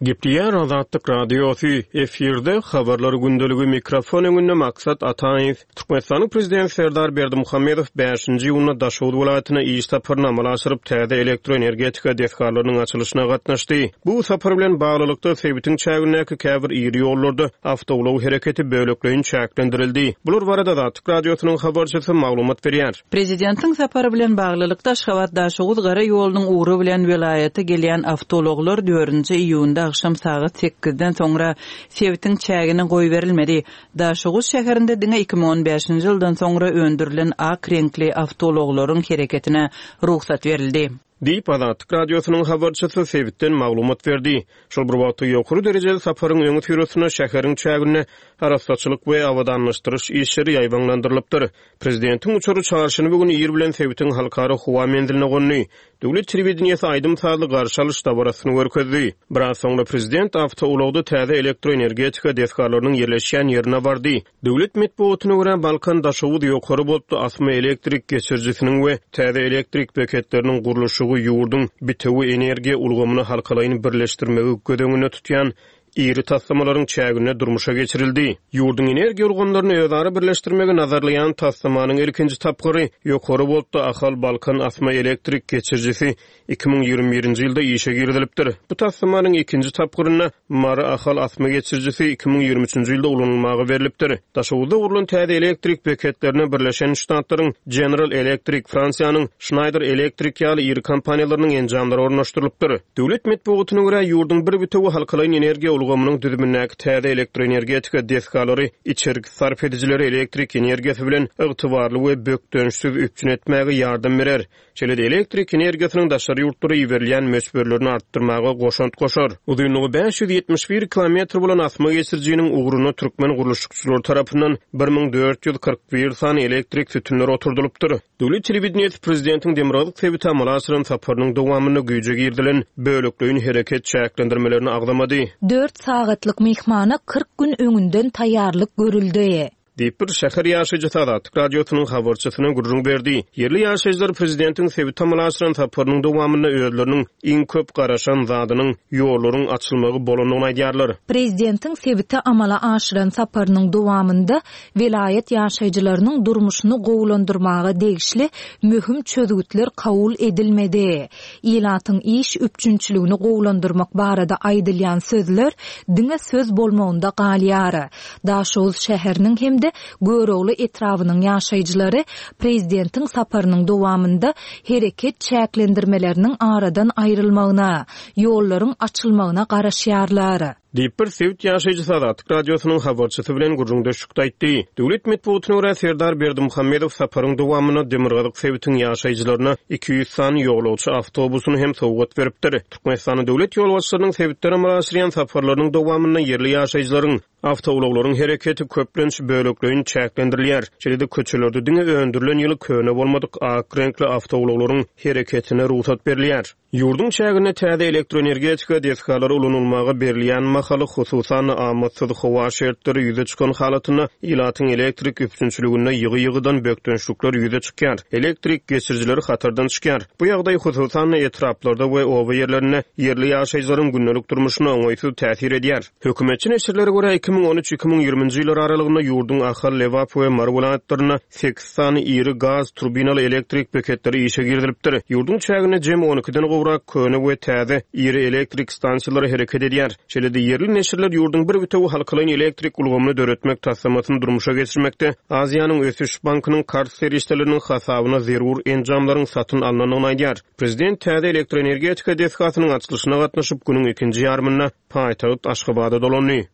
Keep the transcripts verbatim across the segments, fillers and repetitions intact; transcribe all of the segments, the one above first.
Gepleýär Azatlyk Radiosy, efirde Habarlar gündeligi, mikrofon öňünde Maksat Ataýew. Türkmenistanyň Prezidenti Serdar Berdimuhamedow bäşinji iýunda Daşoguz welaýatyna iş saparyny amala aşyryp, täze elektroenergetika desgalarynyň açylyşyna gatnaşdy. Bu sapar bilen baglylykda, sebitiň çägindäki käbir iri ýollarda awtoulag hereketi bölekleýin çäklendirildi. Bular barada Azatlyk Radiosynyň habarçysy maglumat berýär. Prezidentiň sapary bilen baglylykda Aşgabat-Daşoguz gara ýolunyň ugry bilen welaýata gelýän awtoulaglar dördünji iýunda agşam sagat sekizden soňra sebitiň çägine goýberilmedi. Daşoguz şäherinde diňe iki müň on bäşinji ýyldan soňra öndürilen ak reňkli awtoulaglaryň hereketine rugsat berildi. Diýip, Azatlyk Radiosynyň habarçysy sebitden maglumat berdi. Şol bir wagtda ýokary derejeli saparyň öňüsyrasynda şäheriň çäginde arassaçylyk we abadanlaşdyryş işleri ýaýbaňlandyrylypdyr. Prezidentiň uçary çarşenbe güni ir bilen sebitiň halkara howa menziline gondy. Döwlet telewideniýesi aýdym-sazly garşy alyş dabarasyny görkezdi. Biraz soňra prezident awtoulagda täze elektroenergetika desgalarynyň ýerleşýän ýerine bardy. Döwlet metbugatyna görä, Balkan Daşoguz ýokary voltly asma elektrik geçirijisiniň we täze elektrik beketleriniň gurluşygy ýurduň bitewi energiýa ulgamyny halkalaýyn birleşdirmegi göz öňünde tutýan iri taslamalaryň çäginde durmuşa geçirildi. Ýurduň energiýa ulgamlaryny özara birleşdirmegi nazarlaýan taslamanyň ilkinji tapgyry ýokary voltly Ahal Balkan asma elektrik geçirijisi iki müň ýigrimi birinji ýylda işe girizilipdir. Bu taslamanyň ikinji tapgyrynda Mary Ahal asma geçirijisi iki müň ýigrimi üçünji ýylda ulanylmaga berlipdir. Daşoguzda gurlan täze elektrik beketlerine Birleşen Ştatlaryň General Electric, Fransiýanyň Schneider Electric ýaly iri kompaniýalarynyň enjamlary ornaşdyrylypdyr. Döwlet metbugatyna görä, ýurduň bir bitewi halkalaýyn energiýa ulgamynyň düzümindäki täze elektroenergetika desgalary içerki sarp edijileri elektrik energiýasy bilen ygtybarly we bökdençsiz üpjün etmäge ýardam berer. Şeýle-de elektrik energiýasynyň daşary ýurtlara iberilýän möçberlerini artdyrmaga goşant goşar. Uzynlygy bäş ýüz ýetmiş bir kilometr bolan asma geçirijiniň ugruna türkmen gurluşykçylary tarapyndan bir müň dört ýüz kyrk bir sany elektrik sütünleri oturdylypdyr. Döwlet telewideniýesi prezidentiň Demirgazyk sebite amala aşyran saparynyň dowamynda güýje girizilen bölekleýin hereket çäklendirmelerini agzamady. Dört sagatlyk myhmana kyrk gün öňünden taýýarlyk görüldi. Diýip bir şäher ýaşaýjysy Azatlyk Radiosynyň habarçysyna gürrüň berdi. Ýerli ýaşaýjylar prezidentiň sebite amala aşyran saparynyň dowamynda özleriniň iň köp garaşan zadynyň ýollaryň açylmagy bolandygyny aýdýarlar. Prezidentiň sebite amala aşyran saparynyň dowamynda welaýat ýaşaýjylarynyň durmuşyny gowulandyrmaga degişli möhüm çözgütler kabul edilmedi. Ilatyň iş üpjünçiligini gowulandyrmak barada aýdylýan sözler diňe söz bolmagynda galýar. Daşoguz şäheriniň hem-de Görogly etrabynyň ýaşaýjylary prezidentiň saparynyň dowamynda hereket çäklendirmeleriniň aradan aýrylmagyna, ýollaryň açylmagyna garaşýarlar. Diýip bir sebit ýaşaýjysy Azatlyk Radiosynyň habarçysy bilen gürrüňdeşlikde aýtdy. Döwlet metbugatyna görä Serdar Berdimuhamedow saparyň dowamynda Demirgazyk sebitiň ýaşaýjylaryna iki ýüz sany ýolagçy awtobusyny hem sowgat beripdir. Türkmenistanyň döwlet ýolbaşçylarynyň sebitlere amala aşyrýan saparlarynyň dowamynda ýerli ýaşaýjylaryň awtoulaglaryň hereketi köplenç bölekleýin çäklendirilýär. Şeýle-de köçelerde diňe öndürilen ýyly köne bolmadyk ak reňkli awtoulaglaryň hereketine rugsat berilýär. Ýurduň çäginde täze elektroenergetika desgalary ulanylmaga berilýän mahaly hususan amatsyz howa şertleri ýüze çykan halatynda ilatyň elektrik üpjünçiliginde ýygy-ýygydan bökdençlikler ýüze çykýar. Elektrik geçirijileri hatardan çykýar. Bu ýagdaý hususan etraplarda we oba ýerlerinde ýerli ýaşaýjylaryň gündelik durmuşyna oňaýsyz täsir edýär. Hökümetçi neşirlere görä iki müň on üç iki müň ýigriminji ýyllar aralygynda ýurduň Ahal, Lebap we Mary welaýatlarynda sekiz sany iri gaz turbinaly elektrik beketleri işe girizilipdir. Ýurduň çäginde jem on ikiden gowrak köne we täze iri elektrik stansiýalary hereket edýär. Şeýle-de ýerli neşirler ýurduň bir bitewi halkalaýyn elektrik ulgamyny döretmek taslamasyny durmuşa geçirmekde Aziýanyň Ösüş Bankynyň karz serişdeleriniň hasabyna zerur enjamlaryň satyn alnandygyny aýdýar. Prezident täze elektroenergetika desgasynyň açylyşyna gatnaşyp günüň ikinji ýarymynda paýtagt Aşgabada dolandy.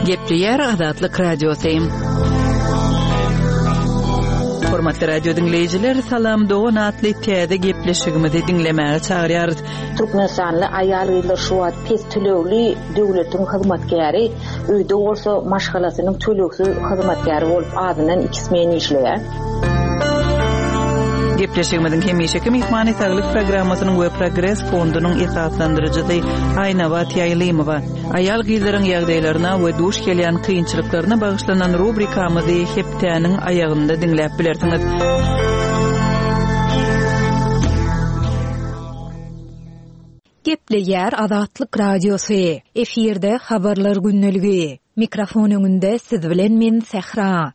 Gepleýär Azatlyk Radiosy. Hormatly radio diňleýjiler, Salam Dogan atly täze gepleşigimizi diňlemäge çagyrýarys. Türkmenistanly aýal-gyzlar şu wagt pes tölegli döwletiň hyzmatkäri, öýde bolsa maşgalasynyň tölegsiz hyzmatkäri bolup azyndan iki smen işleýär. Gepleşigimiziň hemişeki myhmany Saglyk programmasynyň we Progres fondunyň esaslandyryjysy Aýnabat Ýaýlymowa. Aýal gyzlaryň ýagdaýlaryna we duş gelýän kynçylyklaryna bagyşlanan rubrikamyzy hepdäniň aýagynda diňläp bilersiňiz. Gepleýär Azatlyk Radiosy. Efirde habarlar gündeligi. Mikrofon öňünde siz bilen men Sähra.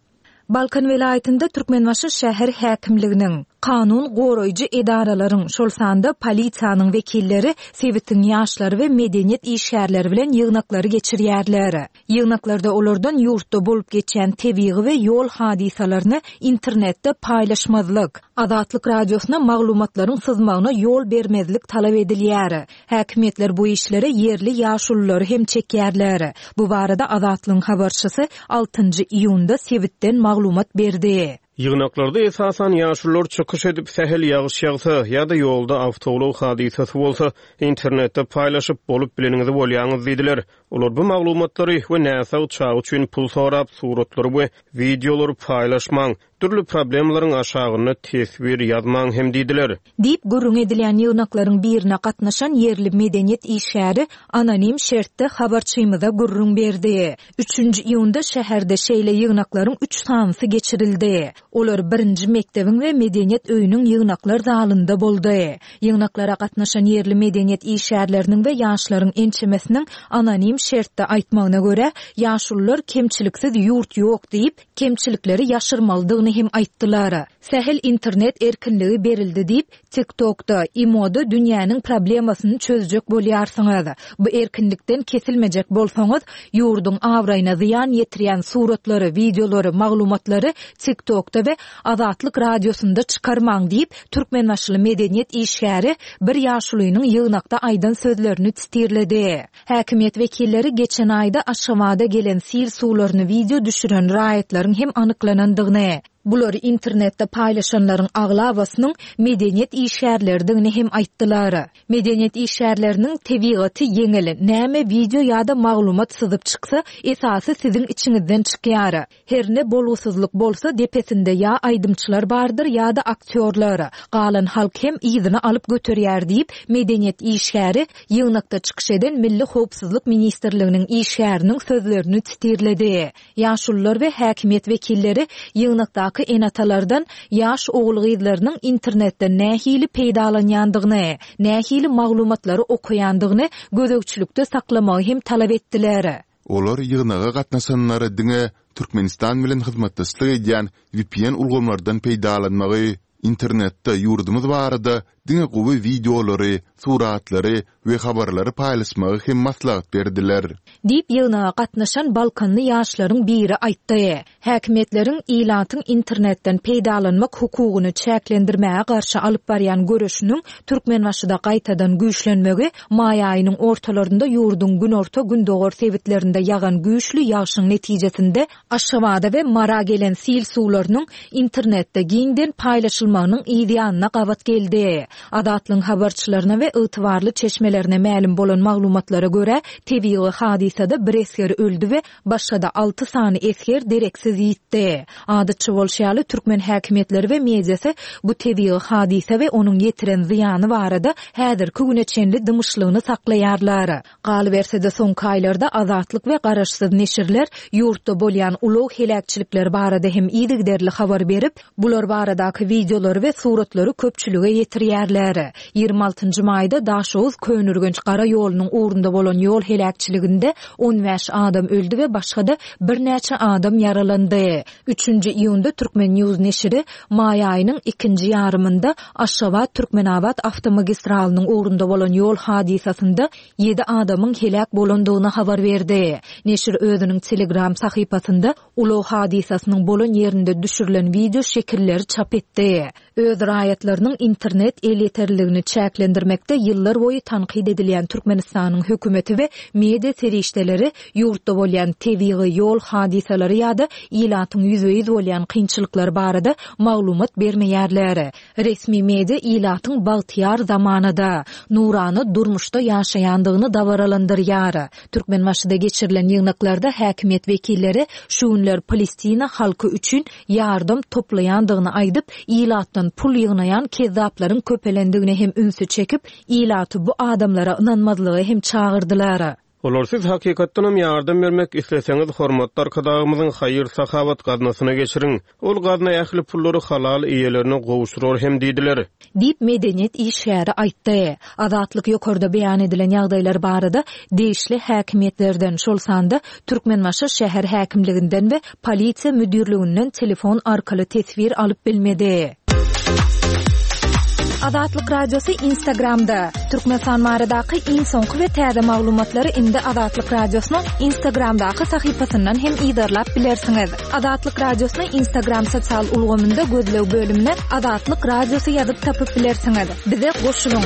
Balkan welaýatynda Türkmenbaşy şäher häkimliginiň, kanun goraýjy edaralaryň, şol sanda polisiýanyň wekilleri sebitiň ýaşlary we medeniýet işgärleri bilen ýygnaklary geçirýärler. Ýygnaklarda olardan ýurtda bolup geçýän tebigy we ýol hadysalaryny internetde paýlaşmazlyk, Azatlyk Radiosyna maglumatlaryň syzmagyna ýol bermezlik talap edilýär. Häkimiýetler bu işlere ýerli ýaşululary hem çekýärler. Bu barada Azatlygyň habarçysy altynjy iýunda sebitden maglumat berdi. Ýygnaklarda esasan ýaşulular çykyş edip, sähel ýagyş ýagsa ýa-da ýolda awtoulag hadysasy bolsa, internetde paýlaşyp, bolup bileniňizi bolýaňyz diýdiler. Olar bu maglumatlary we näsag çaga üçin pul sorap, suratlary we wideolary paýlaşmaň, dürli problemalaryň aşagynda teswir ýazmaň hem diýdiler. Diýip gürrüň edilýän ýygnaklaryň birine gatnaşan ýerli medeniýet işgäri anonim şertde habarçymyza gürrüň berdi. Üçünji iýunda şäherde şeýle ýygnaklaryň üç sanysy geçirildi. Olar birinji mekdebiň we medeniýet öýüniň ýygnaklar zalynda boldy. Ýygnaklara gatnaşan ýerli medeniýet işgärleriniň we ýaşlaryň ençemesiniň anonim şertde aýtmagyna görä, ýaşulular kemçiliksiz ýurt ýok diýip, kemçilikleri ýaşyrmalydygyny hem aýtdylar. Sähel internet erkinligi berildi diýip, TikTokda, Imoda dünýäniň problemasyny çözjek bolýarsyňyz. Bu erkinlikden kesilmejek bolsaňyz, ýurduň abraýyna zyýan ýetirýän suratlary, wideolary, maglumatlary TikTokda we Azatlyk Radiosynda çykarmaň diýip, Türkmenbaşyly medeniýet işgäri bir ýaşulynyň ýygnakda aýdan sözlerini titirledi. Häkimiýet wekilleri geçen aýda Aşgabada gelen sil suwlaryny wideo düşüren raýatlaryň hem anyklanandygyny, bulary internetde paýlaşanlaryň aglabasynyň medeniýet işgärleridigini hem aýtdylar. Medeniýet işgärleriniň tebigaty ýeňil, näme wideo ýa-da maglumat syzyp çyksa, esasy siziň içiňizden çykýar. Her ne bolgusyzlyk bolsa depesinde ýa aýdymçylar bardyr ýa-da aktýorlar. Galan halk hem yzyny alyp göterýär diýip, medeniýet işgäri ýygnakda çykyş eden Milli Howpsuzlyk Ministrliginiň işgäriniň sözlerini titirledi. Ýaşulular we häkimiýet wekilleri ýygnakdaky enatalardan ýaş ogul-gyzlarynyň internetden nähili peýdalanýandygyny, nähili maglumatlary okaýandygyny gözegçilikde saklamagy hem talap etdiler. Olar ýygnaga gatnaşanlara diňe Türkmenistan bilen hyzmatdaşlyk edýän V P N ulgamlardan peýdalanmagy, internetde ýurdumyz barada diňe gowy wideolary, suratlary we habarlary paýlaşmagy hem maslahat berdiler. Diýip ýygnaga gatnaşan Balkanly ýaşlaryň biri aýtdy. Häkimiýetleriň ilatyň internetden peýdalanmak hukugyny çäklendirmäge garşy alyp barýan göreşiniň Türkmenbaşyda gaýtadan güýçlenmegi maý aýynyň ortalarynda ýurduň günorta-gündogar sebitlerinde ýagan güýçli ýagşyň netijesinde Aşgabada we Mara gelen sil suwlarynyň internetde giňden paýlaşylmagynyň ýanyna gabat geldi. Azatlygyň habarçylaryna we ygtybarly çeşmelerine mälim bolan maglumatlara görä, tebigy hadysada bir esger öldü we başga-da alty sany esger dereksiz ýitdi. Adatça bolşy ýaly türkmen häkimiýetleri we mediasy bu tebigy hadysa we onuň ýetiren zyýany barada häzirki güne çenli dymyşlygyny saklaýarlar. Galyberse-de soňky aýlarda Azatlyk we garaşsyz neşirler ýurtda bolýan ulag heläkçilikleri barada hem yzygiderli habar berip, bular baradaky wideolary we suratlary köpçülige ýetirýärler. Ýigrimi altynjy maýda Daşoguz Köneürgenç gara ýolunyň ugrunda bolan ýol heläkçiliginde on bäş adam öldü we başga-da birnäçe adam ýaralandy. Üçünji iýunda Türkmen News neşiri maý aýynyň ikinji ýarymynda Aşgabat Türkmenabat awtomagistralynyň ugrunda bolan ýol hadysasynda ýedi adamyň heläk bolandygyny habar berdi. Neşir özüniň Telegram sahypasynda ulag hadysasynyň bolan ýerinde düşürilen wideo şekilleri çap etdi. Öz raýatlarynyň internet elýeterliligini çäklendirmekde ýyllar boýy tankyt edilýän Türkmenistanyň hökümeti we media serişdeleri ýurtda bolýan tebigy ýol hadysalary ýa-da ilatyň ýüzbe-ýüz bolýan kynçylyklary barada maglumat bermeýärler. Resmi media ilatyň bagtyýar zamanada, nurana durmuşda ýaşaýandygyny dabaralandyrýar. Türkmenbaşyda geçirilen ýygnaklarda häkimiýet wekilleri şu günler Palestina halky üçin ýardam toplaýandygyny aýdyp, ilatdan pul ýygnaýan kezzaplaryň köpelendigine hem ünsi çekip, ilaty bu adamlara ynanmazlygy hem çagyrdylar. Olar siz hakykatdanam ýardam bermek isleseňiz, hormatly Arkadagymyzyň haýyr-sahawat gaznasyna geçiriň. Ol gazna ähli pullary halal eýelerine gowşurar hem diýdiler. Diýip, medeniýet işgäri aýtdy. Azatlyk ýokarda beýan edilen ýagdaýlar barada degişli häkimiýetlerden, şol sanda Türkmenbaşy şäher häkimliginden we polisiýa müdirliginden telefon arkaly teswir alyp bilmedi. Azatlyk Radiosy Instagramda. Türkmenistan baradaky iň soňky we täze maglumatlary indi Azatlyk Radiosynyň Instagramdaky sahypasyndan hem yzarlap bilersiňiz. Azatlyk Radiosyny Instagram sosial ulgamynda gözleg bölümine Azatlyk Radiosy ýazyp tapyp bilersiňiz. Bize goşulyň.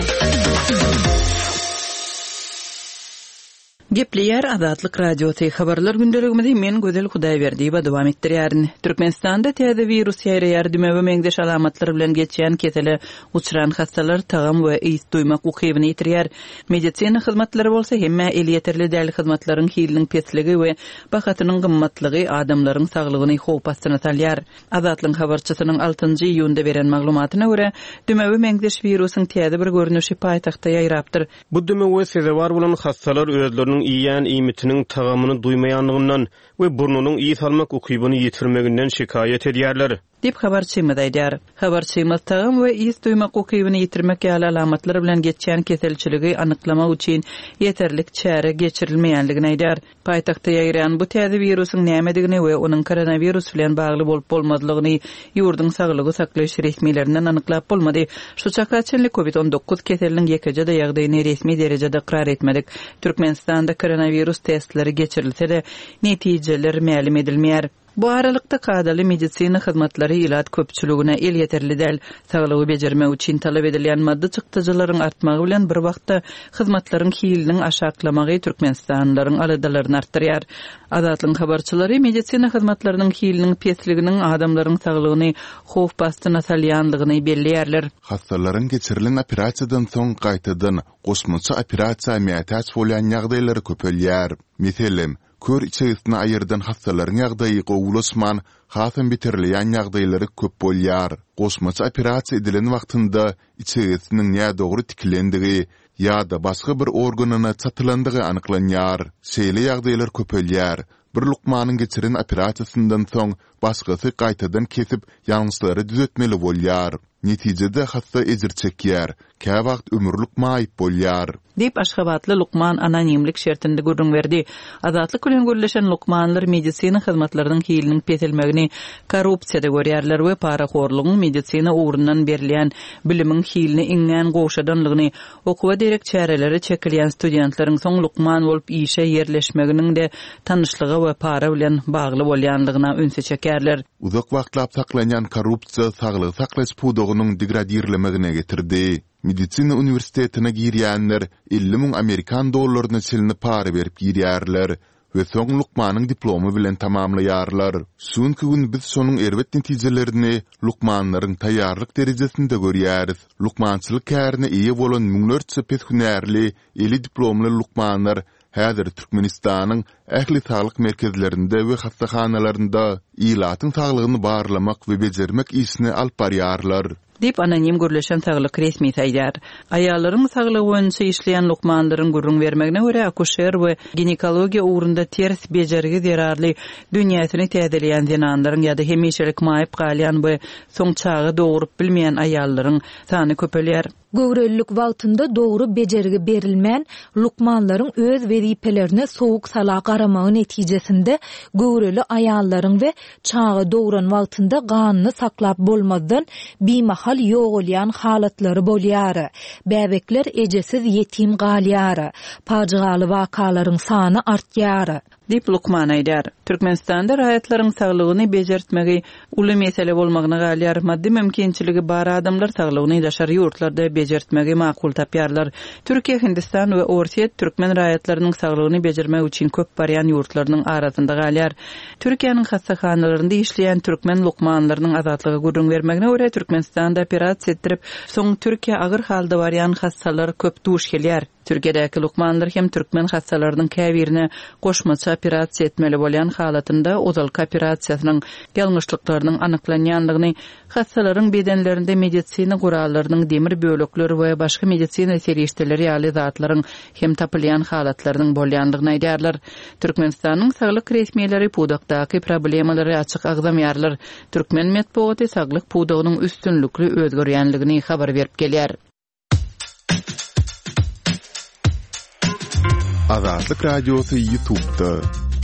Gepleýär Azatlyk Radiosy habarlar gündeligimizi men Gözel Hudaýberdiýewa dowam etdirýärin. Türkmenistanda täze wirus ýaýraýar, dümewe meňzeş alamatlar bilen geçýän kesele uçran hassalar tagam we ys duýmak ukybyny ýitirýär. Medisina hyzmatlary bolsa hemmä elýeterli däl hyzmatlaryň hiliniň pesligi we bahasynyň gymmatlygy adamlaryň saglygyny howp astyna salýar. Azatlyk habarçysynyň altynjy iýunda beren maglumatyna görä, dümewe meňzeş wirusyň täze bir görnüşi paýtagtda ýaýrapdyr. Bu dümewe sezewar bolan hassalar özleriniň iýen iýmitiniň tagamyny duýmaýanlygyndan we burnunyň ys almak ukybyny ýitirmeginden şikaýat edýärler. Diýip habarçymyz aýdýar. Habarçymyz tagam we ys duýmak ukybyny ýitirmek ýaly alamatlar bilen geçýän keselçiligi anyklamak üçin ýeterlik çäre geçirilmeýänligini aýdýar. Paýtagtda ýaýran bu täze wirusyň nämedigini we onuň koronawirus bilen bagly bolup bolmazlygyny ýurduň saglygy saklaýyş resmilerinden anyklap bolmady. Şu çaka çenli COVID on dokuz keseliniň ýekeje-de ýagdaýyny resmi derejede ykrar etmedik. Türkmenistanda koronawirus testleri geçirilse-de netijeler mälim edilmeýär. Bu aralykda kadaly medisina hyzmatlary ilat köpçüligine elýeterli däl. Saglygy bejermek üçin talap edilýän maddy çykdajylaryň artmagy bilen bir wagtda hyzmatlaryň hiliniň aşaklamagy Türkmenistanlylaryň aladalaryny artdyrýar. Azatlyk habarçylary medisina hyzmatlarynyň hiliniň pesliginiň adamlaryň saglygyny howp astyna salýanlygyny belleýärler. Hassalaryň geçirilen operasiýadan soň gaýtadan goşmaça operasiýa mätäç bolýan ýagdaýlary köpelýär. Meselem, kör içegisini aýyrdan hassalaryň ýagdaýy gowulaşman, hasam beterleýän ýagdaýlary köp bolýar. Goşmaça operasiýa edilen wagtynda içegisiniň nädogry tikilendigi ýa-da başga bir organyna çatylandygy anyklanýar. Şeýle ýagdaýlar köpelýär. Bir lukmanyň geçiren operasiýasyndan soň başgasy gaýtadan kesip ýalňyşlary düzetmeli bolýar. Netijede hassa ejir çekýär, käwagt ömürlik maýyp bolýar. Diýip Aşgabatly lukman anonimlik şertinde gürrüň berdi. Azatlyk bilen gürleşen lukmanlar medisina hyzmatlarynyň hiliniň peselmegini korrupsiýada görýärler we parahorlugyň medisina ugrundan berilýän bilimiň hilini iňňän gowşadanlygyny, okuwa derek çäreleri çekilýän studentleriň soň lukman bolup işe ýerleşmeginiň de tanyşlyga we para bilen bagly bolýanlygyna ünsi çekerler. Uzak wagtlap saklanýan korrupsiýa saglygy saklaýyş pudagynyň degradirlemegine getirdi. Medisina uniwersitetine girýänler elli müň amerikan dollaryna çenli para berip girýärler we soň lukmanyň diplomy bilen tamamlaýarlar. Çünki gün biz şonuň erbet netijelerini lukmanlaryň taýýarlyk derejesinde görýäris. Lukmançylyk kärine eýe bolan müňlerçe pes hünärli, eli diplomly lukmanlar häzir Türkmenistanyň ähli saglyk merkezlerinde we hassahanalarynda ilatyň saglygyny barlamak we bejermek işini alyp barýarlar. Diýip anonim gürleşen saglyk resmi aýdar. Aýallaryň saglygy boýunça işleýän lukmanlaryň gürrüň bermegine görä akuşer we ginekologiýa ugrunda ters bejergi zerarly dünýäsini täzeleýän zenanlaryň ýa-da hemişelik maýyp galýan we soň çaga dogrup bilmeýän aýallaryň sany köpelýär. Göwrelilik wagtynda dogry bejergi berilmän, lukmanlaryň öz wezipelerine sowuk sala garamagy netijesinde göwreli aýallaryň we çaga dogran wagtynda ganyny saklap bolmazdan bimahal ýogalýan halatlary bolýar. Bäbekler ejesiz ýetim galýar. Pajygaly wakalaryň sany artýar. Diýip lukman aýdar. Türkmenistanda raýatlaryň saglygyny bejertmegi uly mesele bolmagyna galýar. Maddy mümkinçiligi bar adamlar saglygyny daşary ýurtlarda bejertmegi makul tapýarlar. Türkiýe, Hindistan we Orsýet türkmen raýatlarynyň saglygyny bejermek üçin köp barýan ýurtlarynyň arasynda galýar. Türkiýäniň hassahanalarynda işleýän türkmen lukmanlarynyň azatlyga gürrüň bermegine görä Türkmenistanda operasiýa etdirip, soň Türkiýä agyr halda barýan hassalar köp duş gelýär. Türkiýedäki lukmanlar hem türkmen hassalarynyň käbirine goşmaça operasiýa etmeli bolýan halatynda ozalky operasiýasynyň ýalňyşlyklarynyň anyklanýandygyny, hassalaryň bedenlerinde medisina gurallarynyň demir bölekleri we başga medisina serişdeleri ýaly zatlaryň hem tapylýan halatlarynyň bolýandygyny aýdýarlar. Türkmenistanyň saglyk resmileri pudakdaky problemalary açyk agzamaýarlar. Türkmen metbugaty saglyk pudagynyň üstünlikli özgerýänligini habar berip gelýär. Azatlyk Radiosy YouTube'da.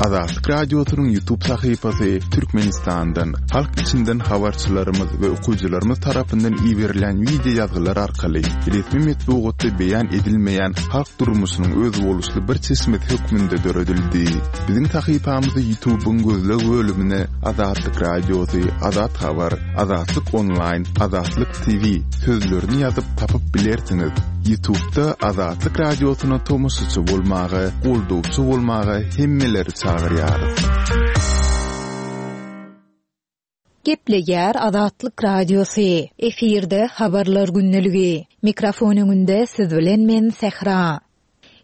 Azatlyk Radiosynyň YouTube sahypasy Türkmenistandan, halk içinden habarçylarymyz we okyjylarymyz tarapyndan iberilen wideo ýazgylar arkaly resmi metbugatda beýan edilmeýän halk durmuşynyň özboluşly bir çeşmesi hökmünde döredildi. Biziň sahypamyzy YouTube'yň gözleg bölümine Azatlyk Radiosy, Azat Habar, Azatlyk Online, Azatlyk T V sözlerini ýazyp tapyp bilersiňiz. YouTube'da Azatlyk Radiosyna tomaşaçy bolmaga, goldawçy bolmaga hemmeleri çagyrýarys. Gepleýär Azatlyk Radiosy. Efirde habarlar gündeligi. Mikrofon öňünde siz bilen men Sehra.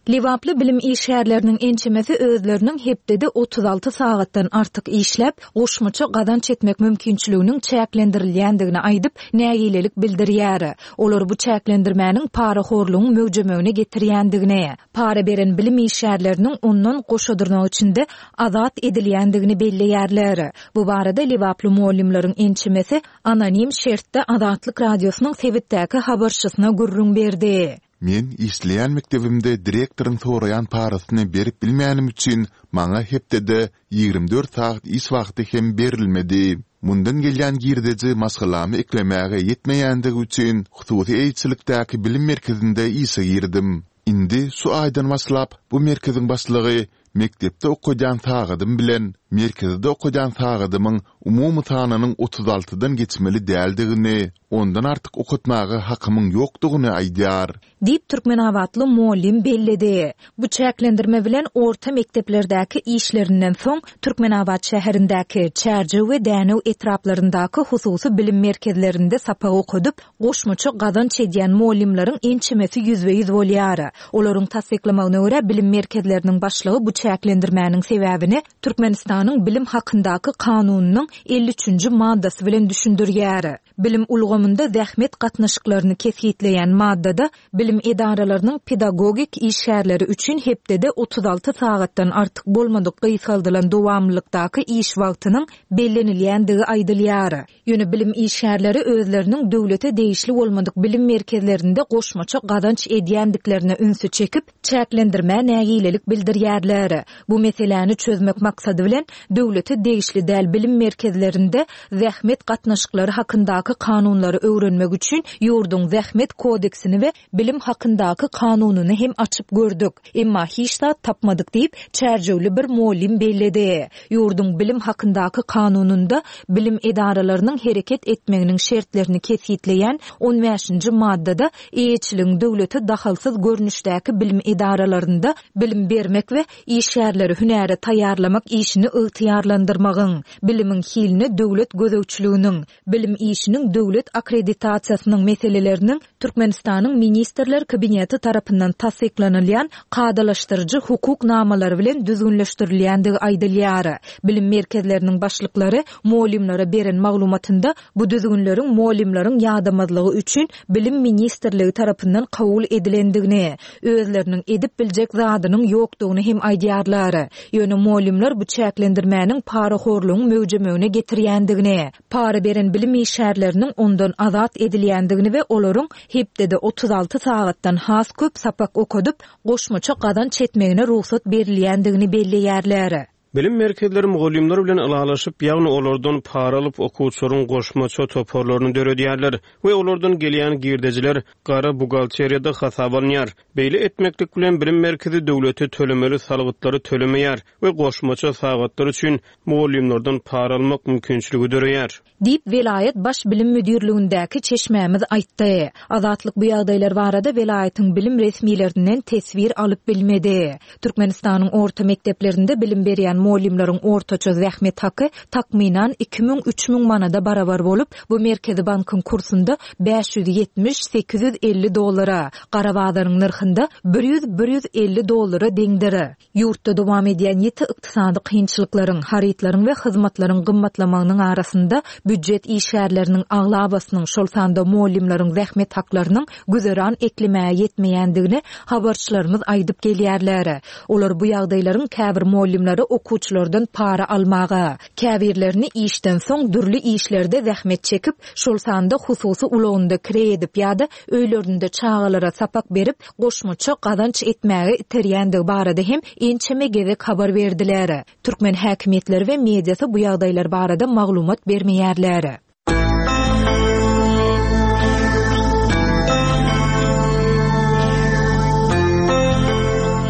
Lebaply bilim işgärleriniň ençemesi özleriniň hepdede otuz alty sagatdan artyk işläp, goşmaça gazanç etmek mümkinçiliginiň çäklendirilýändigini aýdyp, nägilelik bildirýär. Olar bu çäklendirmäniň parahorlugyň möwjemegine getirýändigini, para beren bilim işgärleriniň ondan goşadyrmak içinde azat edilýändigini belleýärler. Bu barada Lebaply mugallymlaryň ençemesi anonim şertde Azatlyk Radiosynyň sebitdäki habarçysyna gürrüň berdi. Men işleýän mekdebimde direktoryň soraýan parasyny berip bilmänim üçin maňa hepdede ýigrimi dört sagat iş wagty hem berilmedi. Mundan gelýän girdeji maşgalamy eklemäge ýetmeýändigi üçin hususy eýeçilikdäki bilim merkezinde işe girdim. Indi şu aýdan başlap bu merkeziň başlygy mekdepde okadýan sagadym bilen merkezde okadýan sagadymyň umumy sanynyň otuz altydan geçmeli däldigini, ondan artyk okatmaga hakymyň ýokdugyny aýdýar. Diýip Türkmenabatly mugallym belledi. Bu çäklendirme bilen orta mekdeplerdäki işlerinden soň Türkmenabat şäherindäki Çärjew we Dänew etraplaryndaky hususy bilim merkezlerinde sapak okadyp, goşmaça gazanç edýän mugallymlaryň ençemesi ýüzbe-ýüz bolýar. Olaryň tassyklamagyna görä bilim merkezleriniň başlygy bu çäklendirmäniň sebäbini Türkmenistanyň bilim hakyndaky kanunynyň elli üçünji maddasy bilen düşündirýär. Bilim ulgamynda zähmet gatnaşyklaryny kesgitleýän maddada bilim edaralarynyň pedagogik işgärleri üçin hepdede otuz alty sagatdan artyk bolmadyk gysgaldylan dowamlylykdaky iş wagtynyň bellenilýändigi aýdylýar. Ýöne bilim işgärleri özleriniň döwlete degişli bolmadyk bilim merkezlerinde goşmaça gazanç edýändiklerine ünsi çekip, çäklendirmä nägilelik bildirýärler. Bu meseläni çözmek maksady bilen döwlete degişli däl bilim merkezlerinde zähmet gatnaşyklary hakyndaky kanunlary öwrenmek üçin ýurduň zähmet kodeksini we bilim hakyndaky kanunyny hem açyp gördük. Emma hiç zat tapmadyk diýip, Çärjewli bir mugallym belledi. Ýurduň bilim hakyndaky kanunynda bilim edaralarynyň hereket etmeginiň şertlerini kesgitleýän on bäşinji maddada eýeçiligiň döwlete dahalsyz görnüşdäki bilim edaralarynda bilim bermek we işgärleri hünäre taýýarlamak işini ygtyýarlandyrmagyň, bilimiň hiline döwlet gözegçiliginiň, bilim işiniň döwlet akkreditasiýasynyň meseleleriniň Türkmenistanyň Ministrler Kabineti tarapyndan tassyklanylýan kadalaşdyryjy hukuk namalary bilen düzgünleşdirilýändigi aýdylýar. Bilim merkezleriniň başlyklary mugallymlara beren maglumatynda bu düzgünleriň mugallymlaryň ýadamazlygy üçin Bilim Ministrligi tarapyndan kabul edilendigini, özleriniň edip biljek zadynyň ýokdugyny hem aýdýarlar. Ýöne mugallymlar bu çäklendirmäniň parahorlugyň möwjemegine getirýändigini, para beren bilim işgärleriniň ondan azat edilýändigini we olaryň hepdede otuz alty sagatdan has köp sapak okadyp, goşmaça gazanç etmegine rugsat berilýändigini belleýärler. Bilim merkezleri mugallymlar bilen ylalaşyp, ýagny olardan para alyp okuwçylaryň goşmaça toparlaryny döredýärler we olardan gelýän girdejiler gara buhgalteriýada hasap alynýar. Beýle etmeklik bilen bilim merkezi döwlete tölemeli salgytlary tölemeýär we goşmaça sagatlar üçin mugallymlardan para almak mümkinçiligi döreýär. Diýip welaýat baş bilim müdirligindäki çeşmämiz aýtdy. Azatlyk bu ýagdaýlar barada welaýatyň bilim resmilerinden teswir alyp bilmedi. Türkmenistanyň orta mekdeplerinde bilim berýän Mugallymlaryň ortaça zähmet haky takmynan iki müň üç müň manada barabar bolup, bu Merkezi bankyň kursunda bäş ýüz ýetmiş sekiz ýüz elli dollara, gara bazaryň nyrhynda bir ýüz bir ýüz elli dollara deňdir. Ýurtda dowam edýän ýiti ykdysady kynçylyklaryň, harytlaryň we hyzmatlaryň gymmatlamagynyň arasynda býujet işgärleriniň aglabasynyň, şol sanda mugallymlaryň zähmet haklarynyň güzeran eklemäge ýetmeýändigini habarçylarymyz aýdyp gelýärler. Olar bu ýagdaýlaryň käbir mugallymlary okuwçylardan para almaga, käbirlerini işden soň dürli işlerde zähmet çekip, şol sanda hususy ulagynda kireý edip ýa-da öýlerinde çagalara sapak berip, goşmaça gazanç etmäge iterýändigi barada hem ençeme gezek habar berdiler. Türkmen häkimiýetleri we mediasy bu ýagdaýlar barada maglumat bermeýärler.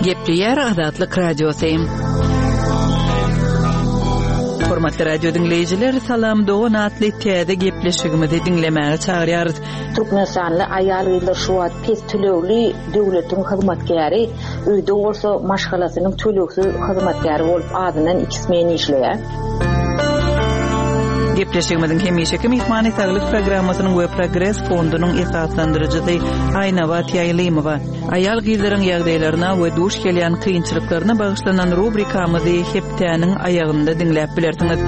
Gepleýär Azatlyk Radiosy. Hormatly radio diňleýjiler, Salam dogan atly täze gepleşigimizi diňlemäge çagyrýarys. Türkmenistanly aýal-gyzlar şu wagt pes tölegli döwletiň hyzmatkäri, öýde bolsa maşgalasynyň tölegsiz hyzmatkäri bolup azyndan iki smen işleýär. Gepleşigimiziň hemişeki myhmany Saglyk programmasynyň we Progres fondunyň esaslandyryjysy Aýnabat Ýaýlymowa. Aýal-gyzlaryň ýagdaýlaryna we duş gelýän kynçylyklaryna bagyşlanan rubrikamyzy hepdäniň aýagynda diňläp bilersiňiz.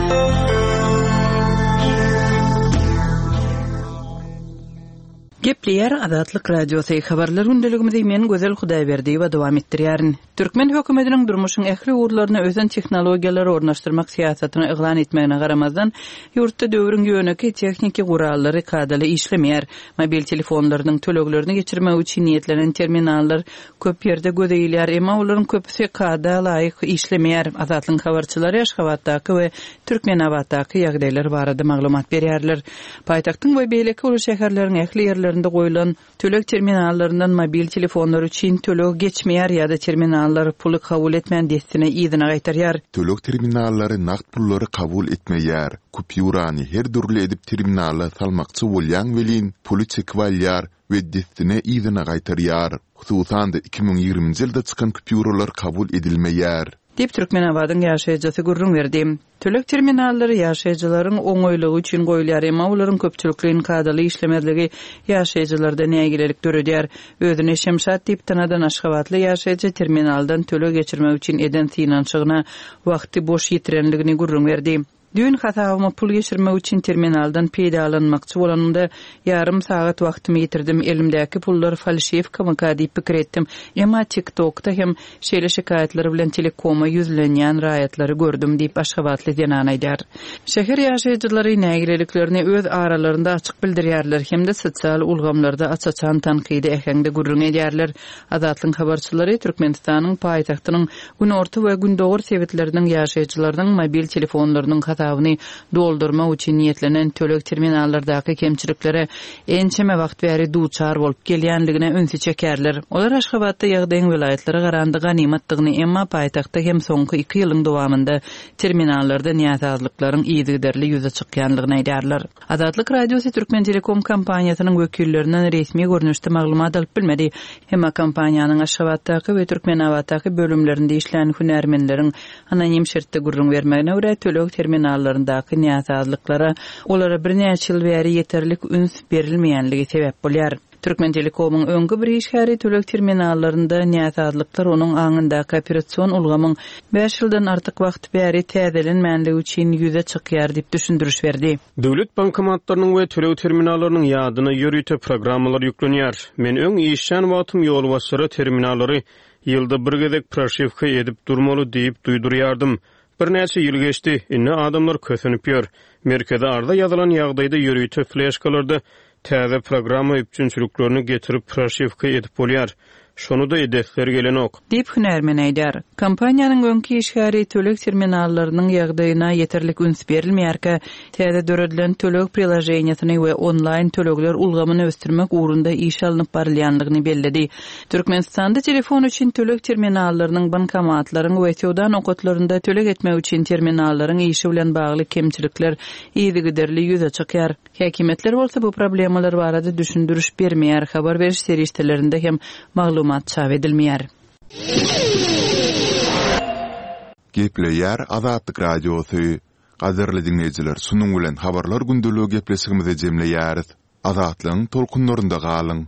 Gepleýär Azatlyk Radiosy. Habarlar gündeligimizi men Gözel Hudaýberdiýewa dowam etdirýärin. Türkmen hökümetiniň durmuşyň ähli ugurlaryna ösen tehnologiýalary ornaşdyrmak syýasatyny yglan etmegine garamazdan, ýurtda döwrüň ýönekeý tehniki gurallary kadaly işlemeýär. Mobil telefonlarynyň töleglerini geçirmek üçin niýetlenen terminallar köp ýerde göze ilýär, emma olaryň köpüsi kada laýyk işlemeýär. Azatlyk habarçylary Aşgabatdaky we Türkmenabatdaky ýagdaýlar barada maglumat berýärler. Paýtagtyň we beýleki uly şäherleriň ähli ýerlerinde goýlan töleg terminallaryndan mobil telefonlar üçin töleg geçmeýär ýa-da terminallar puly kabul etmän dessine yzyna gaýtarýar. Töleg terminallary nagt pullary kabul etmeýär. Kupýurany her dürli edip terminala salmakçy bolýan welin puly çekip alýar we dessine yzyna gaýtarýar. Hususan-da iki müň ýigriminji ýylda çykan kupýuralar kabul edilmeýär. Diýip Türkmenabadyň ýaşaýjysy gürrüň berdi. Töleg terminallary ýaşaýjylaryň oňaýlygy üçin goýulýar, emma olaryň köpçülikleýin kadaly işlemezligi ýaşaýjylarda nägilelik döredýär. Özüni Şemşat diýip tanadan Aşgabatly ýaşaýjy terminaldan töleg geçirmek üçin eden synanyşygyna wagty boş ýitirenligini gürrüň berdi. Düýn hasabyma pul geçirmek üçin terminaldan peýdalanmakçy bolanymda ýarym sagat wagtymy ýitirdim. Elimdäki pullar falşiwkamyka diýip pikir etdim. Emma TikTokda hem şeýle şikaýatlar bilen Telekoma ýüzlenýän raýatlary gördüm diýip Aşgabatly zenan aýdar. Şäher ýaşaýjylary nägileliklerini öz aralarynda açyk bildirýärler hem-de sosial ulgamlarda aç-açan tankydy äheňde gürrüň edýärler. Azatlyk habarçylary Türkmenistanyň paýtagtynyň günorta we gündogar sebitleriniň ýaşaýjylarynyň mobil telefonlarynyň hasabyny doldurmak üçin niýetlenen töleg terminallardaky kemçiliklere ençeme wagt bäri duçar bolup gelýänligine ünsi çekerler. Olar Aşgabatda ýagdaýyň welaýatlara garanda ganymatdygyny, emma paýtagtda hem soňky iki ýylyň dowamynda terminallarda näsazlyklaryň yzygiderli ýüze çykýanlygyny aýdarlar. Azatlyk Radiosy Türkmen Telekom kompaniýasynyň wekillerinden resmi görnüşde maglumat alyp bilmedi. Emma kompaniýanyň Aşgabatdaky we Türkmenabatdaky bölümlerinde işlän hünärmenleriň anonim şertde gürrüň bermegine görä töleg terminallaryndaky näsazlyklara olara birnäçe ýyl bäri ýeterlik üns berilmeýänligi sebäp bolýar. Türkmen Telekomyň öňki bir işgäri töleg terminallarynda näsazlyklar onuň aňyndaky operation ulgamyň bäş ýyldan artyk wagt bäri täzelenmänligi üçin ýüze çykýar diýip düşündiriş berdi. Döwlet bankomatlarynyň we töleg terminallarynyň ýadyna ýörite programmalar ýüklenýär. Men öň işlän wagtym ýolbaşçylara terminallary ýylda bir gezek proşiwka edip durmaly diýip duýdurýardym. Birnäçe ýyl geçdi, indi adamlar kösenip ýör. Merkezi arza ýazylan ýagdaýda ýörite fleşkalarda täze programma üpjünçiliklerini getirip proşiwka edip bolýar. Şonu da edesler gelenok. Diýip hünärmen aýdar. Kompaniýanyň öňki işgäri töleg terminallarynyň ýagdaýyna ýeterlik üns berilmeýärkä, täze döredilen töleg priloženiýasyny we onlaýn tölegler ulgamyny ösdürmek ugrunda iş alnyp barylýanlygyny belledi. Türkmenistanda telefon üçin töleg terminallarynyň, bankomatlaryň we söwda nokatlarynda töleg etmek üçin terminallaryň işi bilen bagly kemçilikler yzygiderli ýüze çykýar. Häkimiýetler bolsa bu problemalar barada düşündiriş bermeýär, habar beriş serişdelerinde hem maglumat çap edilmeýär. Gepleýär Azatlyk Radiosy. Gadyrly diňleýjiler, şunuň bilen Habarlar gündeligi gepleşigimizi jemleýäris. Azatlygyň tolkunlarynda galyň!